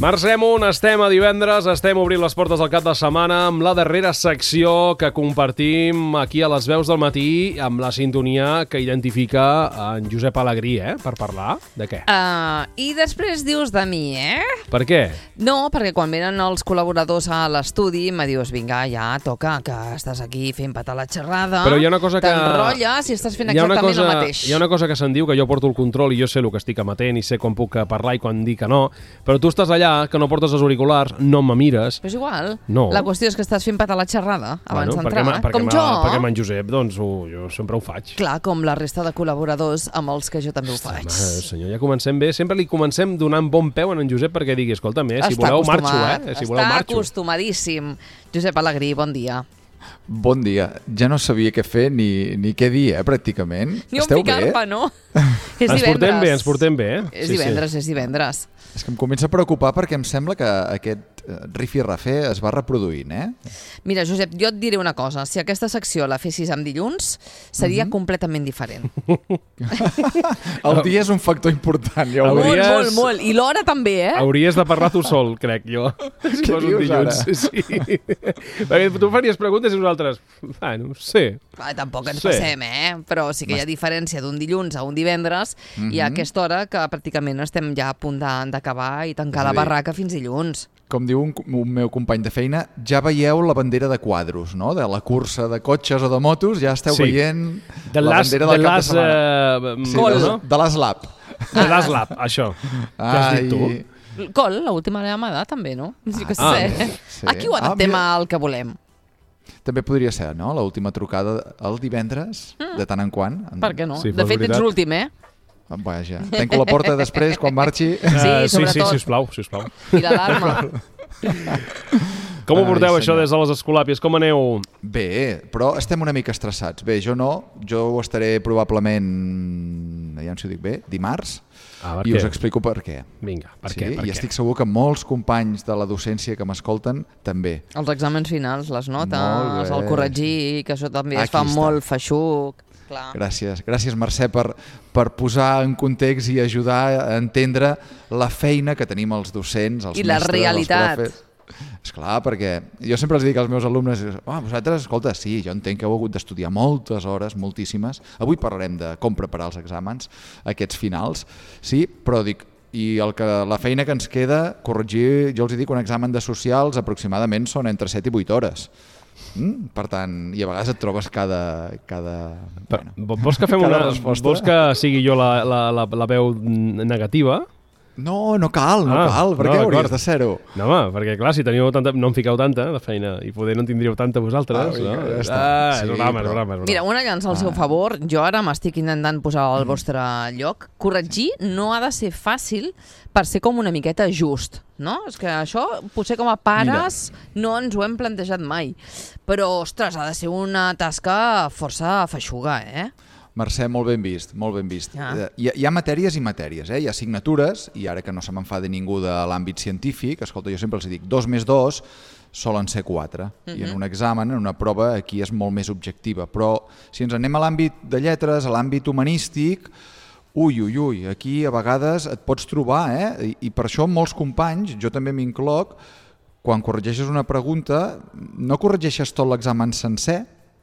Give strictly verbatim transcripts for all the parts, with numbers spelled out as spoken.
Març Amunt, estem a divendres, estem obrint les portes del cap de setmana amb la darrera secció que compartim aquí a les veus del matí amb la sintonia que identifica en Josep Alegrí, eh? Per parlar de què? Uh, I després dius de mi, eh? Per què? No, perquè quan venen els col·laboradors a l'estudi me dius, vinga, ja toca, que estàs aquí fent patar la xerrada. Però hi ha una cosa que... T'enrotlles i estàs fent exactament cosa, el mateix. Hi ha una cosa que se'n diu, que jo porto el control i jo sé el que estic emetent i sé quan puc parlar i quan dic que no, però tu estàs allà, que no portes els auriculars, no me mires. Però és igual. No. La qüestió és que estàs fent patar la xerrada abans bueno, d'entrar. Perquè, com perquè jo. Perquè amb en Josep, doncs, ho, jo sempre ho faig. Clar, com la resta de col·laboradors amb els que jo també ho faig. Home, senyor, ja comencem bé. Sempre li comencem donant bon peu a en Josep perquè digui, escolta'm, eh, si voleu marxo, eh? Si voleu Està marxo. acostumadíssim. Josep Alegrí, bon dia. Bon dia. Ja no sabia què fer ni, ni què dir, eh, pràcticament. Ni on Esteu ficar-me, bé? no? És ens divendres. portem bé, ens portem bé, eh? És divendres, és divendres. És que em comença a preocupar perquè em sembla que aquest rifirrafer es va reproduint, eh? Mira, Josep, jo et diré una cosa. Si aquesta secció la fessis amb dilluns, seria mm-hmm. completament diferent. El dia és un factor important, ja ho Hauries... Molt, molt, molt. I l'hora també, eh? Hauries de parlar tu sol, crec jo. Si Què fos un dius dilluns. ara? Sí. Perquè tu faries preguntes i nosaltres... Bueno, sí. Ah, tampoc ens Sí. passem, eh? Però sí que hi ha diferència d'un dilluns a un divendres Mhm. i a aquesta hora que pràcticament estem ja a punt de- d'acabar i tancar És a la dir, barraca fins dilluns. Com diu un, un meu company de feina, ja veieu la bandera de quadros, no? De la cursa de cotxes o de motos, ja esteu Sí. veient De la l'as... bandera De del cap de l'as... setmana. Uh, Sí, Gol, de, no? de l'Aslap. De l'Aslap, això. Què has dit tu? Col, l'última llamada, també, no? Sí que Ah, sé. sí. Aquí ho Ah, adaptem mira. al que volem. També podria ser, no? L'última trucada el divendres, mm. de tant en quant. Per què no? Sí, de fos fet, veritat. ets l'últim, eh? Vaja, tanco la porta després, quan marxi. Sí, Uh, sí, sí, sobretot. sisplau, sisplau. I l'alarma. Com ho Ai, porteu, això, senyor. des de les Escolàpies? Com aneu? Bé, però estem una mica estressats. Bé, jo no, jo ho estaré probablement, ja no si ho dic bé, dimarts, Ah, per i què? us explico per què. Vinga, per sí, què? Per I què? estic segur que molts companys de la docència que m'escolten també. Els exàmens finals, les Molt notes, bé. el corregir, que això també es Aquí fa està. molt feixuc. Clar. Gràcies, gràcies Mercè per, per posar en context i ajudar a entendre la feina que tenim els docents, els I la mestres, realitat. els profes. Esclar, perquè jo sempre els dic als meus alumnes, oh, vosaltres, escolta, sí, jo entenc que heu hagut d'estudiar moltes hores, moltíssimes, avui parlarem de com preparar els exàmens, aquests finals, sí, però dic, i el que, la feina que ens queda, corregir, jo els dic, un examen de socials aproximadament són entre set i vuit hores. Mm? Per tant, i a vegades et trobes cada... cada Però, bueno, vols que fem cada una... resposta. Vols que sigui jo la, la, la, la veu negativa? No, no cal, no Ah, cal, per no, què d'acord. hauries de ser-ho? No, home, perquè clar, si teniu tanta... no en fiqueu tanta de feina i poder no en tindríeu tanta vosaltres, Ah, vinga, no? ja està. Ah, Sí, és broma, és però- broma, és broma. Mira, una llança al seu Ah. favor. Jo ara m'estic intentant posar al vostre lloc. Corregir no ha de ser fàcil per ser com una miqueta just, no? És que això, potser com a pares, Mira. no ens ho hem plantejat mai. Però, ostres, ha de ser una tasca força feixuga, eh? Mercè, molt ben vist, molt ben vist. Ah. Eh, Hi, ha- hi ha matèries i matèries, eh? Hi ha assignatures, i ara que no se m'enfada ningú de l'àmbit científic, escolta, jo sempre els dic, dos més dos solen ser quatre, uh-huh. i en un examen, en una prova, aquí és molt més objectiva, però si ens anem a l'àmbit de lletres, a l'àmbit humanístic, ui, ui, ui, aquí a vegades et pots trobar, eh? I, i per això molts companys, jo també m'incloc, quan corregeixes una pregunta, no corregeixes tot l'examen sencer,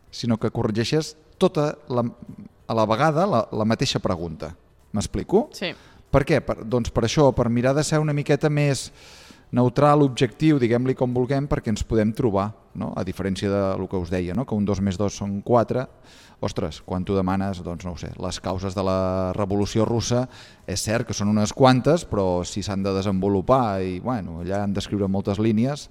sinó que corregeixes tota la, a la vegada la, la mateixa pregunta. M'explico? Sí. Per què? Per, doncs per això, per mirar de ser una miqueta més neutral, objectiu, diguem-li com vulguem, perquè ens podem trobar, no? A diferència del que us deia, no? Que un dos més dos són quatre. Ostres, quan tu demanes, doncs no ho sé, les causes de la Revolució Russa, és cert que són unes quantes, però si s'han de desenvolupar i bueno, allà han d'escriure moltes línies,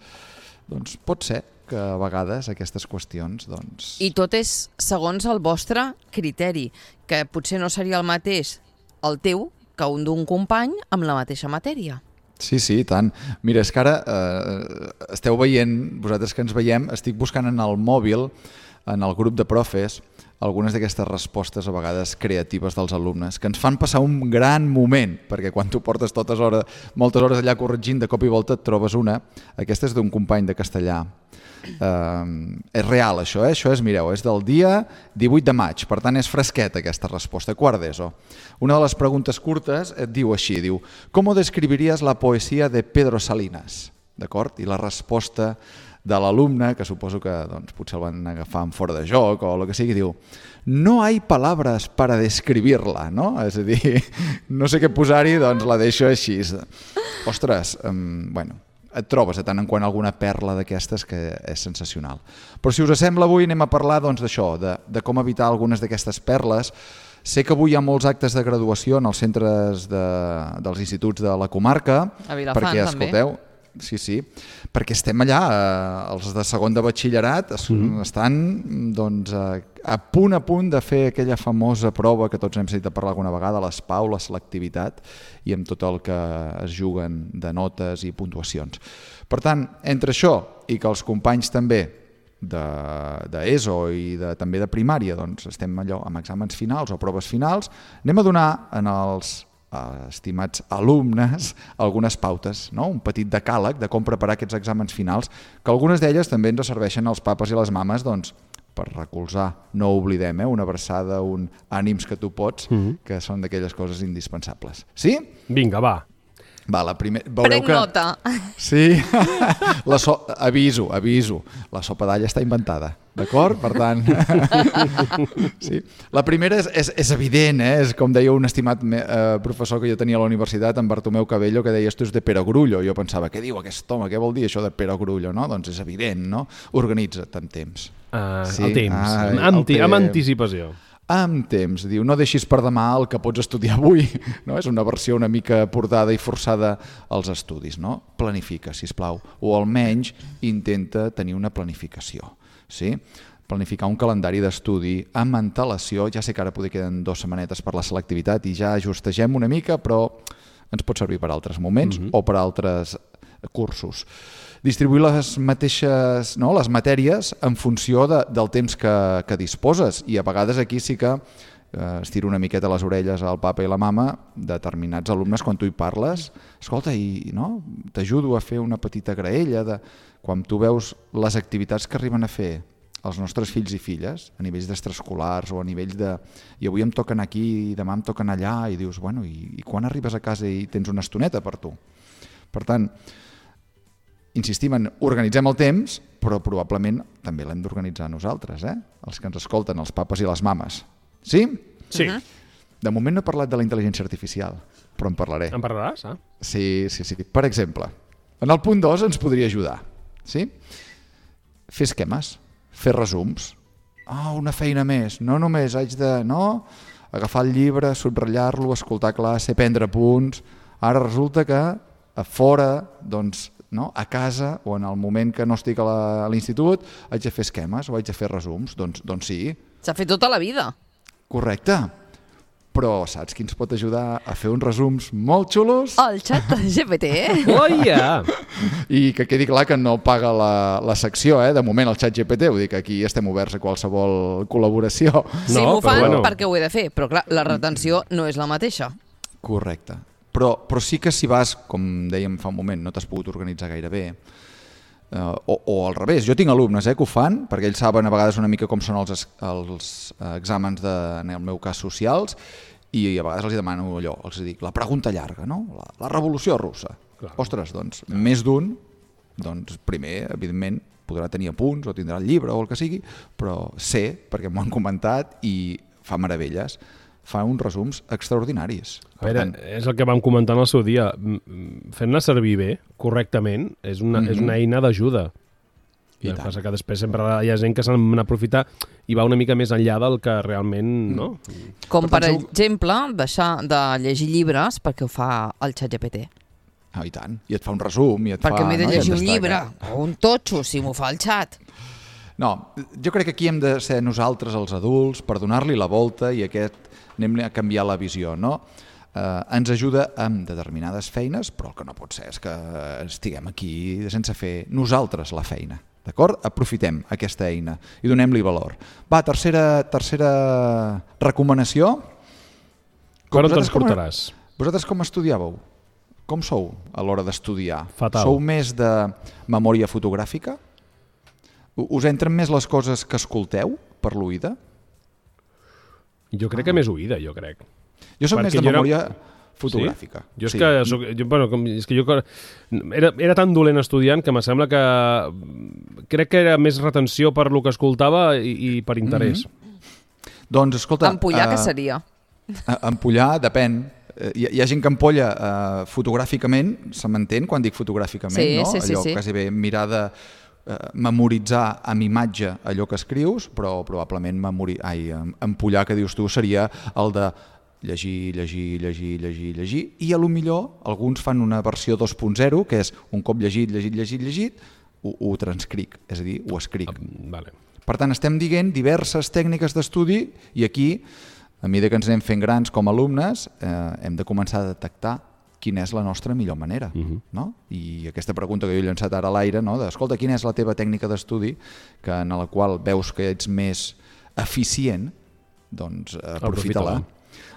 doncs pot ser que a vegades aquestes qüestions... Doncs... I tot és segons el vostre criteri, que potser no seria el mateix el teu que un d'un company amb la mateixa matèria. Sí, sí, i tant. Mira, és que ara eh, esteu veient, vosaltres que ens veiem, estic buscant en el mòbil, en el grup de profes, algunes d'aquestes respostes a vegades creatives dels alumnes, que ens fan passar un gran moment, perquè quan tu portes totes hores, moltes hores allà corregint, de cop i volta et trobes una. Aquesta és d'un company de castellà. Uh, és real, això, eh? Això és, mireu, és del dia divuit de maig, per tant és fresqueta aquesta resposta, quart d'ESO. Una de les preguntes curtes et diu així, diu, ¿cómo describirías la poesía de Pedro Salinas? D'acord? I la resposta de l'alumne, que suposo que doncs, potser el van agafar en fora de joc o el que sigui, diu, no hay palabras para describirla, no? És a dir, no sé què posar-hi, doncs la deixo així. Ostres, um, bueno, et trobes de tant en quant alguna perla d'aquestes que és sensacional. Però si us sembla, avui anem a parlar doncs, d'això, de, de com evitar algunes d'aquestes perles. Sé que avui hi ha molts actes de graduació en els centres de, dels instituts de la comarca. A Vilafant, perquè, també. escolteu, sí, sí, perquè estem allà, eh, els de segon de batxillerat es, mm. estan doncs, a, a punt a punt de fer aquella famosa prova que tots hem sentit a parlar alguna vegada, les P A U, la selectivitat, i amb tot el que es juguen de notes i puntuacions. Per tant, entre això i que els companys també d'ESO i de, també de primària doncs, estem allò amb exàmens finals o proves finals, anem a donar en els estimats alumnes algunes pautes, no? Un petit decàleg de com preparar aquests exàmens finals, que algunes d'elles també ens serveixen als papes i les mames doncs, per recolzar, no ho oblidem, eh? Una abraçada, un ànims que tu pots, mm-hmm. que són d'aquelles coses indispensables. Sí? Vinga, va. Va, la primer... Prenc que... nota. Sí, la so... aviso, aviso, la sopa d'all està inventada, d'acord? Per tant, sí. La primera és, és, és evident, eh? És com deia un estimat eh, professor que jo tenia a la universitat, en Bartomeu Cabello, que deia esto és de perogrullo. Jo pensava, què diu aquest home, què vol dir això de perogrullo? No? Doncs és evident, no? Organitza't amb temps. Uh, sí? El temps, Ai, amb, el temps. amb anticipació. Amb temps, diu, no deixis per demà el que pots estudiar avui, no? És una versió una mica portada i forçada als estudis, no? Planifica, sisplau, o almenys intenta tenir una planificació, sí? Planificar un calendari d'estudi amb antelació, ja sé que ara poder queden dues setmanetes per la selectivitat i ja ajustegem una mica, però ens pot servir per altres moments mm-hmm. o per altres cursos. Distribuir les mateixes, no, les matèries en funció de, del temps que, que disposes, i a vegades aquí sí que eh, estiro una miqueta les orelles al papa i la mama determinats alumnes quan tu hi parles, escolta, i no, t'ajudo a fer una petita graella de quan tu veus les activitats que arriben a fer els nostres fills i filles a nivells d'extraescolars o a nivells de i avui em toquen aquí i demà em toquen allà, i dius, bueno, i, i quan arribes a casa i tens una estoneta per tu? Per tant, insistim en organitzem el temps, però probablement també l'hem d'organitzar nosaltres, eh? Els que ens escolten, els papes i les mames. Sí? Sí. Uh-huh. De moment no he parlat de la intel·ligència artificial, però en parlaré. En parlaràs, ah? Sí, sí, sí. Per exemple, en el punt dos ens podria ajudar. Sí? Fer esquemes, fer resums. Ah, oh, una feina més. No només haig de... No? Agafar el llibre, subratllar-lo, escoltar classe, prendre punts. Ara resulta que a fora, doncs, no? A casa o en el moment que no estic a l'institut haig de fer esquemes o haig de fer resums, doncs, doncs sí. S'ha fet tota la vida. Correcte, però saps qui ens pot ajudar a fer uns resums molt xulos? El xat G P T, eh? Oh, yeah. I que quedi clar que no paga la, la secció, eh? De moment el xat G P T, vull dir que aquí estem oberts a qualsevol col·laboració. Sí, No, m'ho fan però bueno. perquè ho he de fer, però clar, la retenció no és la mateixa. Correcte. Però, però sí que si vas, com dèiem fa un moment, no t'has pogut organitzar gaire bé, eh, o, o al revés, jo tinc alumnes eh, que ho fan, perquè ells saben a vegades una mica com són els, els exàmens, de, en el meu cas, socials, i a vegades els demano allò, els dic, la pregunta llarga, no? La, la revolució russa. Clar. Ostres, doncs, Clar. més d'un, doncs primer, evidentment, podrà tenir apunts o tindrà el llibre o el que sigui, però sé, perquè m'ho han comentat i fa meravelles, fa uns resums extraordinaris. A veure, tant... és el que vam comentar en el seu dia. Fent-la servir bé, correctament, és una, mm-hmm. és una eina d'ajuda. I el que passa que després sempre hi ha gent que se n'aprofita i va una mica més enllà del que realment... No? Com per, per exemple, deixar de llegir llibres perquè ho fa el xat G P T. Ah, i tant. I et fa un resum. I et perquè fa, m'he de no? llegir un llibre o un totxo si m'ho fa el xat. No, jo crec que aquí hem de ser nosaltres els adults per donar-li la volta i aquest anem a canviar la visió, no? Eh, ens ajuda amb determinades feines, però el que no pot ser és que estiguem aquí sense fer nosaltres la feina. D'acord? Aprofitem aquesta eina i donem-li valor. Va, tercera, tercera recomanació. Per on te'ns portaràs? Vosaltres com estudiàveu? Com sou a l'hora d'estudiar? Fatal. Sou més de memòria fotogràfica? Us entren més les coses que escolteu per l'oïda? Jo crec que més oïda, jo crec. Jo soc més de memòria fotogràfica. Sí? Jo és, sí. que, soc, jo, bueno, com, és que jo era, era tan dolent estudiant que me sembla que crec que era més retenció per lo que escoltava i, i per interès. Mm-hmm. Doncs, escolta... Empollar, uh, què seria? Empollar, depèn. Hi, hi ha gent que empolla uh, fotogràficament, se m'entén quan dic fotogràficament, sí, no? Sí, sí, allò sí. quasi bé mirar de uh, memoritzar amb imatge allò que escrius, però probablement memori... Ai, empollar, que dius tu, seria el de llegir, llegir, llegir, llegir, llegir, i a lo millor alguns fan una versió dos punt zero, que és un cop llegit, llegit, llegit, llegit, ho, ho transcric, és a dir, ho escric. Ah, vale. Per tant, estem dient diverses tècniques d'estudi i aquí, a mesura que ens anem fent grans com a alumnes, eh, hem de començar a detectar quina és la nostra millor manera. Uh-huh. No? I aquesta pregunta que jo he llançat ara a l'aire, no? de, escolta, quina és la teva tècnica d'estudi que en la qual veus que ets més eficient, doncs aprofita-la.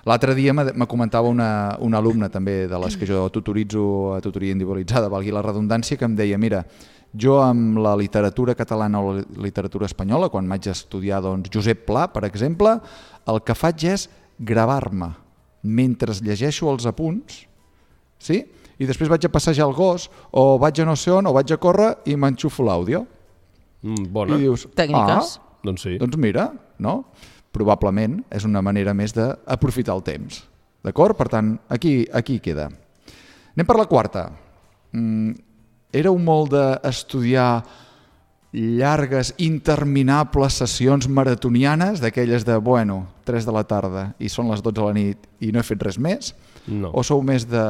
L'altre dia me comentava una, una alumna també de les que jo tutoritzo a tutoria individualitzada, valgui la redundància, que em deia, mira, jo amb la literatura catalana o la literatura espanyola, quan vaig estudiar doncs, Josep Pla, per exemple, el que faig és gravar-me mentre llegeixo els apunts, sí? I després vaig a passejar el gos, o vaig a no sé on, o vaig a córrer i m'enxufo l'àudio. Mm, bona. I dius, tècniques. Ah, doncs sí. Doncs mira, no? Probablement és una manera més d'aprofitar el temps. D'acord? Per tant, aquí, aquí queda. Anem per la quarta. Mm, éreu molt d'estudiar llargues, interminables sessions maratonianes, d'aquelles de, bueno, tres de la tarda i són les dotze de la nit i no he fet res més? No. O sou més de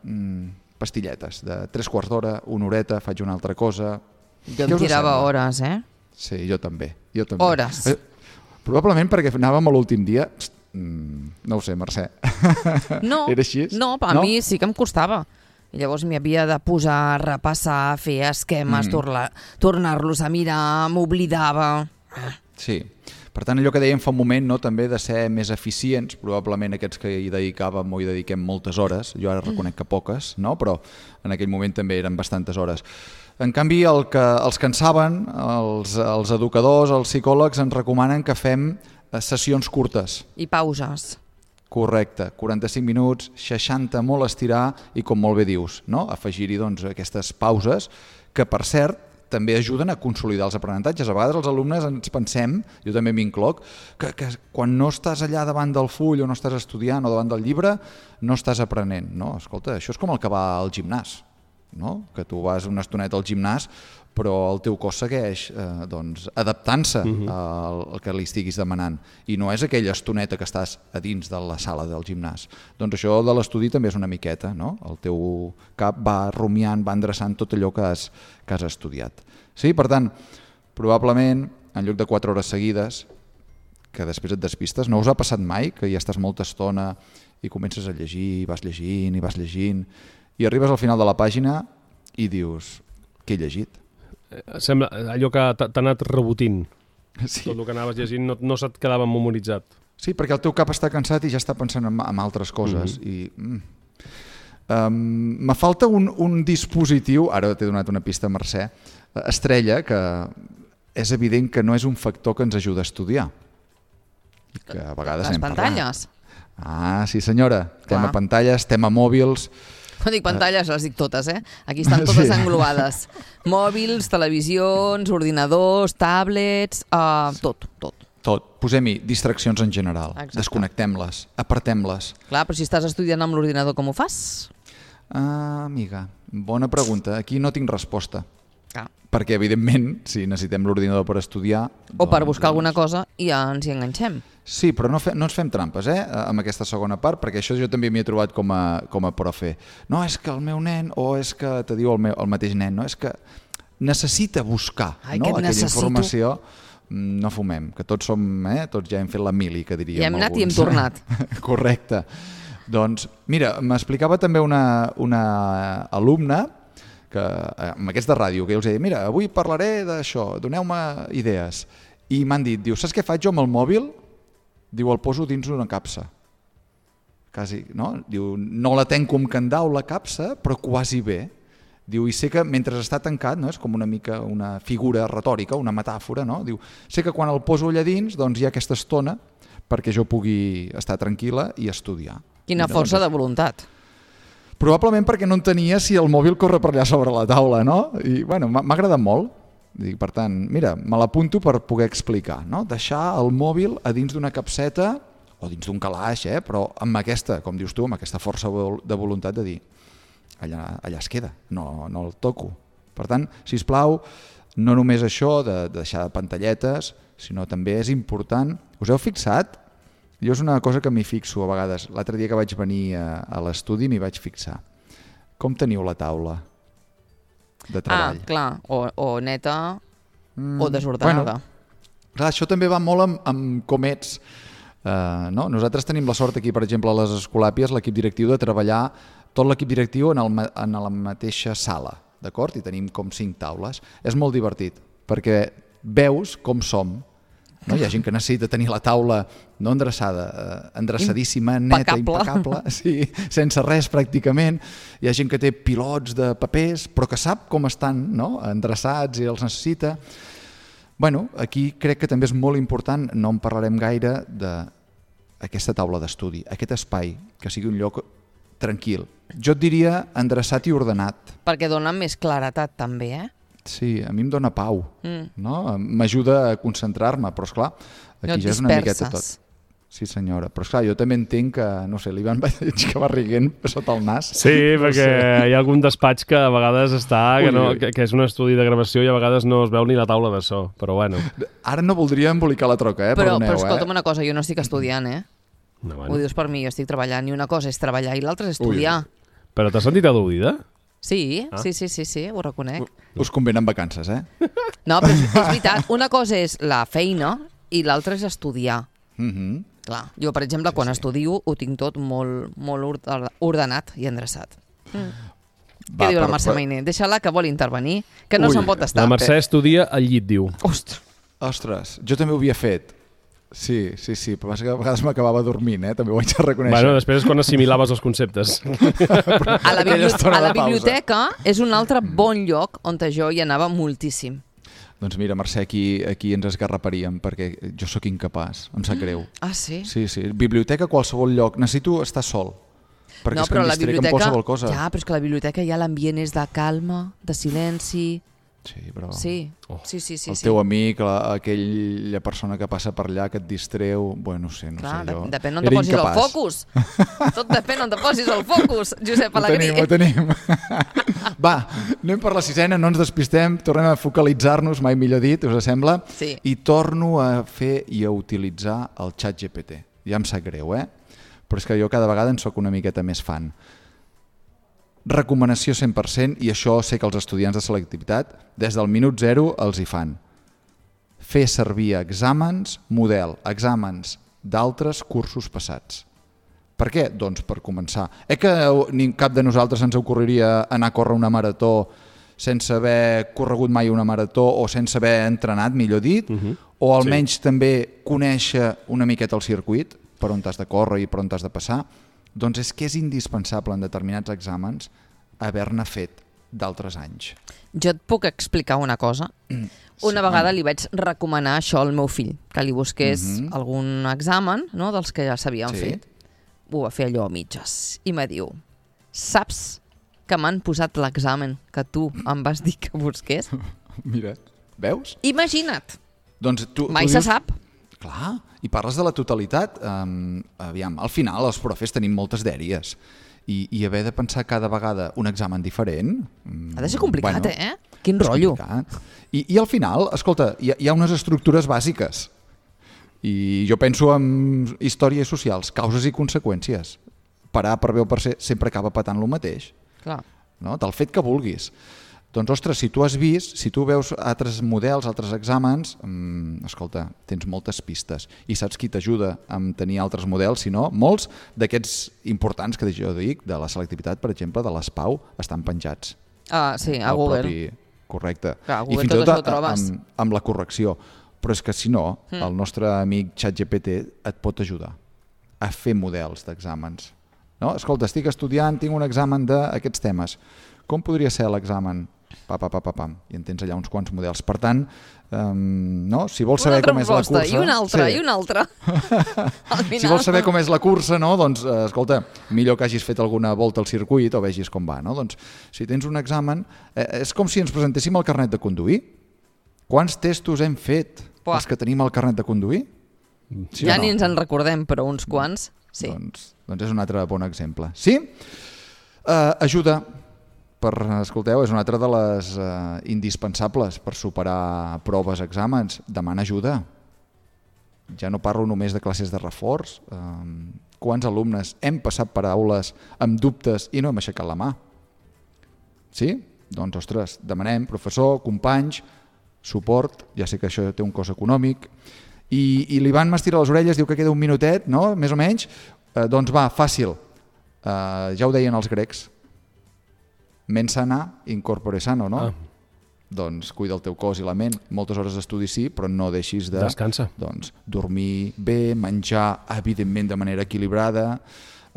mm, pastilletes, de tres quarts d'hora, una horeta, faig una altra cosa? Jo em tirava hores, eh? Sí, jo també. Jo també. Hores. Eh, probablement perquè anàvem a l'últim dia... Mm, no ho sé, Mercè. No, Era així? no, a no? mi sí que em costava. I llavors m'hi havia de posar, repassar, fer esquemes, mm. tornar, tornar-los a mirar, m'oblidava. Sí. Per tant, allò que dèiem fa un moment, no, també de ser més eficients, probablement aquests que hi dedicàvem o hi dediquem moltes hores, jo ara reconec que poques, no? Però en aquell moment també eren bastantes hores. En canvi, el que, els que en saben, els, els educadors, els psicòlegs, ens recomanen que fem sessions curtes. I pauses. Correcte, quaranta-cinc minuts, seixanta molt estirar i, com molt bé dius, no? Afegir-hi doncs, aquestes pauses que, per cert, també ajuden a consolidar els aprenentatges. A vegades els alumnes ens pensem, jo també m'incloc, que, que quan no estàs allà davant del full o no estàs estudiant o davant del llibre, no estàs aprenent. No, escolta, això és com el que va al gimnàs, no? Que tu vas una estoneta al gimnàs però el teu cos segueix eh, doncs, adaptant-se uh-huh. al, al que li estiguis demanant i no és aquella estoneta que estàs a dins de la sala del gimnàs. Doncs això de l'estudi també és una miqueta, no? El teu cap va rumiant, va endreçant tot allò que has, que has estudiat. Sí, per tant, probablement en lloc de quatre hores seguides que després et despistes, no us ha passat mai que ja estàs molta estona i comences a llegir, i vas llegint i vas llegint i arribes al final de la pàgina i dius, què he llegit? Sembla allò que t'ha anat rebotint. Sí. Tot el que anaves llegint no, no se't quedava memoritzat. Sí, perquè el teu cap està cansat i ja està pensant en, en altres coses. Mm-hmm. I, mm, um, me falta un, un dispositiu, ara t'he donat una pista, Mercè, estrella, que és evident que no és un factor que ens ajuda a estudiar. I que a vegades Les hem pantalles. Parlat. Ah, sí senyora. Clar. Tema pantalles, tema mòbils... Quan dic pantalles, les dic totes, eh? Aquí estan totes sí. englobades. Mòbils, televisions, ordinadors, tablets, uh, tot, tot. Tot. Posem-hi distraccions en general. Exacte. Desconnectem-les, apartem-les. Clar, però si estàs estudiant amb l'ordinador, com ho fas? Ah, amiga, bona pregunta. Aquí no tinc resposta. Clar. Perquè, evidentment, si necessitem l'ordinador per estudiar... O per doncs, buscar doncs... alguna cosa i ja ens hi enganxem. Sí, però no, fe, no ens fem trampes, eh, amb aquesta segona part, perquè això jo també m'hi he trobat com a, com a profe. No, és que el meu nen, o és que te diu el, meu, el mateix nen, no, és que necessita buscar Ai, no? aquella necessito. informació. No fumem, que tots som, eh, tots ja hem fet la mili, que diríem I hem anat alguns. i hem tornat. Correcte. Doncs, mira, m'explicava també una, una alumna que, amb aquests de ràdio, que jo els he dit, mira, avui parlaré d'això, doneu-me idees. I m'han dit, diu, saps què faig jo amb el mòbil? Diu, el poso dins d'una capsa. Quasi, no? Diu, no la tenc com candau la capsa, però quasi bé. Diu, i sé que mentre està tancat, no? És com una mica una figura retòrica, una metàfora, no? Diu, sé que quan el poso allà dins doncs hi ha aquesta estona perquè jo pugui estar tranquil·la i estudiar. Quina Mira, força doncs, de voluntat. Probablement perquè no entenia si el mòbil corre per allà sobre la taula, no? I, bueno, m'ha agradat molt. Dic, per tant, mira, me l'apunto per poder explicar, no? Deixar el mòbil a dins d'una capseta o dins d'un calaix, eh? Però amb aquesta, com dius tu, amb aquesta força de voluntat de dir allà, allà es queda, no, no el toco. Per tant, sisplau, no només això de, de deixar pantalletes, sinó també és important. Us heu fixat? Jo és una cosa que m'hi fixo a vegades. L'altre dia que vaig venir a, a l'estudi m'hi vaig fixar. Com teniu la taula de treball? Ah, clar, o, o neta mm, o desordenada. Bueno, clar, això també va molt amb, amb com ets. Uh, no? Nosaltres tenim la sort aquí, per exemple, a les Escolàpies, l'equip directiu, de treballar tot l'equip directiu en, el, en la mateixa sala, d'acord? I tenim com cinc taules. És molt divertit, perquè veus com som. No? Hi ha gent que necessita tenir la taula no endreçada, eh, endreçadíssima, neta, impecable, sí, sense res pràcticament. Hi ha gent que té pilots de papers, però que sap com estan, no? Endreçats i els necessita. Bueno, aquí crec que també és molt important, no en parlarem gaire, d'aquesta taula d'estudi, aquest espai, que sigui un lloc tranquil. Jo et diria endreçat i ordenat. Perquè dona més claretat també, eh? Sí, a mi em dóna pau, mm. no? M'ajuda a concentrar-me, però esclar, aquí no ja és una miqueta tot. Sí senyora, però esclar, jo també entenc que, no sé, l'Ivan veig que va riguent sota el nas. Sí, no perquè sé. Hi ha algun despatx que a vegades està, Ui, que, no, ui. que, que és un estudi de gravació i a vegades no es veu ni la taula de so, però bueno. Ara no voldria embolicar la troca, eh? Però, Perdoneu, però escolta'm eh? una cosa, jo no estic estudiant, eh? No, bueno. Ho dius per mi, jo estic treballant, i una cosa és treballar i l'altra és estudiar. Ui. Però t'has sentit al·ludida? Sí, Ah. sí, sí, sí, sí, ho reconec. Us convenen vacances, eh? No, però és, és veritat, una cosa és la feina i l'altra és estudiar. Mhm. Clar, jo, per exemple, Sí, quan sí. estudio ho tinc tot molt, molt orde- ordenat i endreçat. Mm. Va, Què diu la per- Mercè per- Mainer? Deixa-la, que vol intervenir, que no Ui, se'n pot estar. La Mercè estudia al llit, diu. Ostres, Ostres, jo també ho havia fet. Sí, sí, sí, però a vegades m'acabava dormint, eh? També ho haig de reconèixer. Bueno, després és quan assimilaves els conceptes. a la, Aquella bibli estona a la de pausa. biblioteca és un altre bon lloc on jo hi anava moltíssim. Doncs mira, Mercè, aquí, aquí ens esgarraparíem, perquè jo sóc incapaç, em sap greu. Ah, sí? Sí, sí, biblioteca a qualsevol lloc, necessito estar sol, perquè No, és que però em la distrec amb biblioteca... qualsevol cosa. Ja, però és que la biblioteca ja l'ambient és de calma, de silenci... Sí, però Sí, Oh. sí, sí, sí. el sí. teu amic, la, aquella persona que passa per allà, que et distreu, bueno, no sé, no Clar, sé, jo... de, depèn on te era posis incapaç. el focus. Tot depèn on te posis el focus, Josep Ho Alegrí. tenim, ho tenim. Va, anem per la sisena, no ens despistem, tornem a focalitzar-nos, mai millor dit, us sembla? Sí. I torno a fer i a utilitzar el xat G P T. Ja em sap greu, eh? Però és que jo cada vegada en sóc una miqueta més fan. Recomanació cent per cent, i això sé que els estudiants de selectivitat des del minut zero els hi fan. Fer servir exàmens, model, exàmens d'altres cursos passats. Per què? Doncs per començar. Eh que ni cap de nosaltres ens ocorreria anar a córrer una marató sense haver corregut mai una marató o sense haver entrenat, millor dit, Mhm. o almenys sí. també conèixer una miqueta el circuit, per on t'has de córrer i per on t'has de passar, doncs és que és indispensable en determinats exàmens haver-ne fet d'altres anys. Jo et puc explicar una cosa. Una Sí, vegada home. li vaig recomanar això al meu fill, que li busqués Mhm. algun examen, no?, dels que ja s'havien Sí. fet. Ho va fer allò a mitges. I me diu, saps que m'han posat l'examen que tu em vas dir que busqués? Mira, veus? Imagina't, Doncs tu, mai tu se dius... sap. Clar, i parles de la totalitat. Um, aviam, al final els profes tenim moltes dèries i, i haver de pensar cada vegada un examen diferent... Ha de ser complicat, bueno, eh? Quin és rotllo. complicat. I, I al final, escolta, hi ha, hi ha unes estructures bàsiques. I jo penso en històries socials, causes i conseqüències. Per A, per B o per C sempre acaba patant lo mateix. Clar. No? Del fet que vulguis. Doncs, ostres, si tu has vist, si tu veus altres models, altres exàmens, mmm, escolta, tens moltes pistes. I saps qui t'ajuda a tenir altres models? Si no, molts d'aquests importants que jo dic, de la selectivitat, per exemple, de l'S P A U, estan penjats. Ah, sí, a Google. Propi... Correcte. Clar, a I Google fins i tot tot això ho trobes. amb, amb la correcció. Però és que si no, mm. el nostre amic ChatGPT et pot ajudar a fer models d'exàmens. No? Escolta, estic estudiant, tinc un examen d'aquests temes. Com podria ser l'examen? Pa, pa, pa, pa, pam. I en tens allà uns quants models. Per tant, um, no? si vols saber com és la cursa... I una altra, sí. i una altra. Si vols saber com és la cursa, no? doncs, eh, escolta, millor que hagis fet alguna volta al circuit o vegis com va. No? Doncs, si tens un examen, eh, és com si ens presentéssim el carnet de conduir. Quants testos hem fet, Pua. els que tenim el carnet de conduir? Sí ja no? ni ens en recordem, però uns quants, sí. Doncs, doncs és un altre bon exemple. Sí? Uh, ajuda... Per, escolteu, és una altra de les uh, indispensables per superar proves, exàmens. Demana ajuda. Ja no parlo només de classes de reforç. Um, quants alumnes hem passat per aules amb dubtes i no hem aixecat la mà? Sí? Doncs, ostres, demanem, professor, companys, suport, ja sé que això té un cost econòmic, i, i l'Ivan m'estira les orelles, diu que queda un minutet, no?, més o menys. Uh, doncs va, fàcil. Uh, ja ho deien els grecs. Mens sana, incorpore sano, no? Ah. Doncs cuida el teu cos i la ment. Moltes hores d'estudi sí, però no deixis de... Descansa. Doncs dormir bé, menjar, evidentment, de manera equilibrada,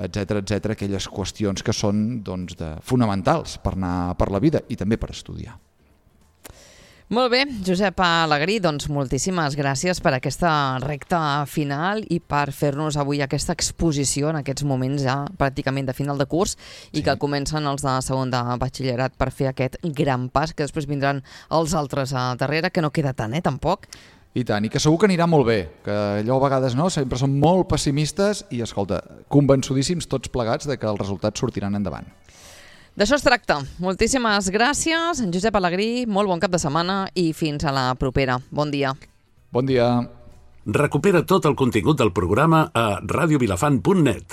etcètera, etcètera, aquelles qüestions que són doncs, de, fonamentals per anar per la vida i també per estudiar. Molt bé, Josep Alegrí, doncs moltíssimes gràcies per aquesta recta final i per fer-nos avui aquesta exposició en aquests moments ja pràcticament de final de curs i sí. que comencen els de segon de batxillerat per fer aquest gran pas, que després vindran els altres a darrere, que no queda tant, eh, tampoc. I tant, i que segur que anirà molt bé, que allò a vegades no, sempre som molt pessimistes i, escolta, convençudíssims tots plegats de que els resultats sortiran endavant. D'això es tracta. Moltíssimes gràcies, en Josep Alegrí, molt bon cap de setmana i fins a la propera. Bon dia. Bon dia. Recupera tot el contingut del programa a radio vilafant punt net.